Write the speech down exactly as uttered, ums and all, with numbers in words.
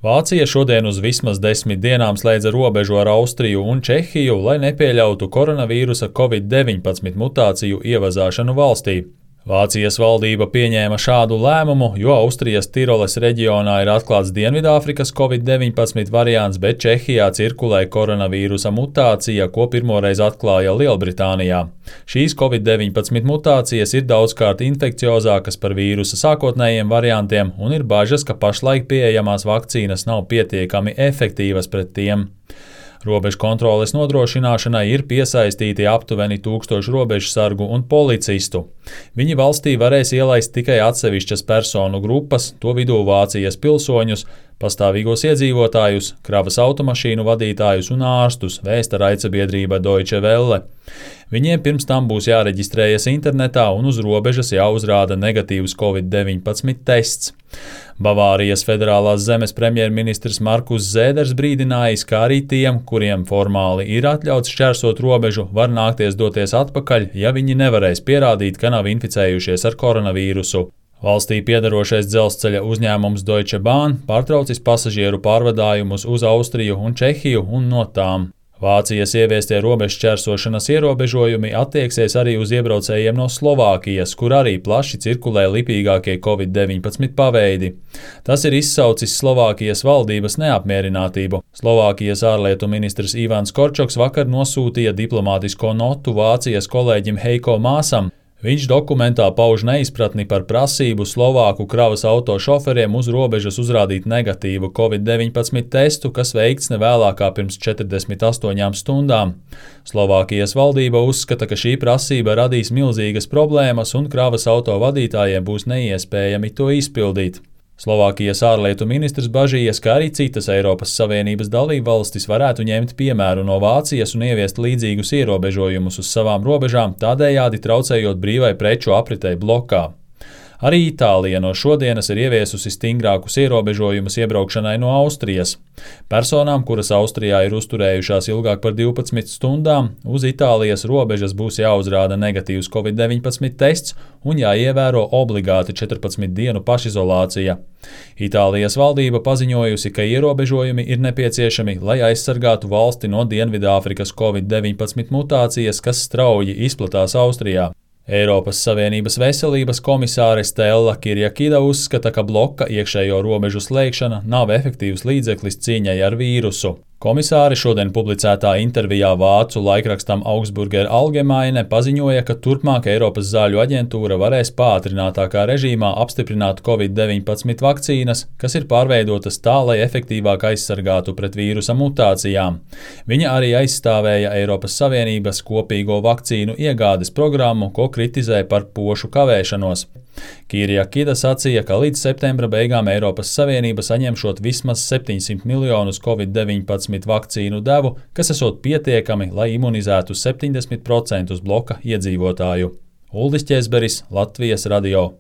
Vācija šodien uz vismaz desmit dienām slēdza robežu ar Austriju un Čehiju, lai nepieļautu koronavīrusa covid deviņpadsmit mutāciju ievazāšanu valstī. Vācijas valdība pieņēma šādu lēmumu, jo Austrijas Tiroles reģionā ir atklāts Dienvidāfrikas covid deviņpadsmit variants, bet Čehijā cirkulē koronavīrusa mutācija, ko pirmoreiz atklāja Lielbritānijā. Šīs covid deviņpadsmit mutācijas ir daudzkārt infekciozākas par vīrusa sākotnējiem variantiem, un ir bažas, ka pašlaik pieejamās vakcīnas nav pietiekami efektīvas pret tiem. Robežu kontroles nodrošināšanai ir piesaistīti aptuveni tūkstoši robežsargu un policistu. Viņi valstī varēs ielaist tikai atsevišķas personu grupas, to vidū Vācijas pilsoņus, pastāvīgos iedzīvotājus, kravas automašīnu vadītājus un ārstus, vēsta raidsabiedrība Deutsche Welle. Viņiem pirms tam būs jāreģistrējas internetā un uz robežas jāuzrāda negatīvs covid deviņpadsmit tests. Bavārijas federālās zemes premjerministrs Markus Zēders brīdinājis, ka arī tiem, kuriem formāli ir atļauts šķērsot robežu, var nākties doties atpakaļ, ja viņi nevarēs pierādīt, ka nav inficējušies ar koronavīrusu. Valstī piedarošais dzelzceļa uzņēmums Deutsche Bahn pārtraucis pasažieru pārvadājumus uz Austriju un Čehiju un no tām. Vācijas ieviestie robežu šķērsošanas ierobežojumi attieksies arī uz iebraucējiem no Slovākijas, kur arī plaši cirkulē lipīgākie covid deviņpadsmit paveidi. Tas ir izsaucis Slovākijas valdības neapmierinātību. Slovākijas ārlietu ministrs Ivans Korčoks vakar nosūtīja diplomātisko notu Vācijas kolēģim Heiko Māsam. Viņš dokumentā pauž neizpratni par prasību Slovāku kravas auto šoferiem uz robežas uzrādīt negatīvu covid deviņpadsmit testu, kas veikts nevēlākā pirms četrdesmit astoņām stundām. Slovākijas valdība uzskata, ka šī prasība radīs milzīgas problēmas un kravas auto vadītājiem būs neiespējami to izpildīt. Slovākijas ārlietu ministrs bažījies, ka arī citas Eiropas Savienības dalībvalstis varētu ņemt piemēru no Vācijas un ieviest līdzīgus ierobežojumus uz savām robežām, tādējādi traucējot brīvai preču apritei blokā. Arī Itālija no šodienas ir ieviesusi stingrākus ierobežojumus iebraukšanai no Austrijas. Personām, kuras Austrijā ir uzturējušās ilgāk par divpadsmit stundām, uz Itālijas robežas būs jāuzrāda negatīvs covid deviņpadsmit tests un jāievēro obligāti četrpadsmit dienu pašizolācija. Itālijas valdība paziņojusi, ka ierobežojumi ir nepieciešami, lai aizsargātu valsti no Dienvidāfrikas covid deviņpadsmit mutācijas, kas strauji izplatās Austrijā. Eiropas Savienības veselības komisāre Stella Kyriakida uzskata, ka bloka iekšējo robežu slēgšana nav efektīvs līdzeklis cīņai ar vīrusu. Komisāre šodien publicētā intervijā vācu laikrakstam Augsburger Allgemeine paziņoja, ka turpmāk Eiropas zāļu aģentūra varēs pātrinātākā režīmā apstiprināt covid deviņpadsmit vakcīnas, kas ir pārveidotas tā, lai efektīvāk aizsargātu pret vīrusa mutācijām. Viņa arī aizstāvēja Eiropas Savienības kopīgo vakcīnu iegādes programmu, ko kritizē par pošu kavēšanos. Kyriakida sacīja, ka līdz septembra beigām Eiropas Savienība saņemšot vismaz septiņsimt miljonus covid deviņpadsmit vakcīnu devu, kas esot pietiekami, lai imunizētu septiņdesmit procentus bloka iedzīvotāju. Uldis Ķezberis, Latvijas radio.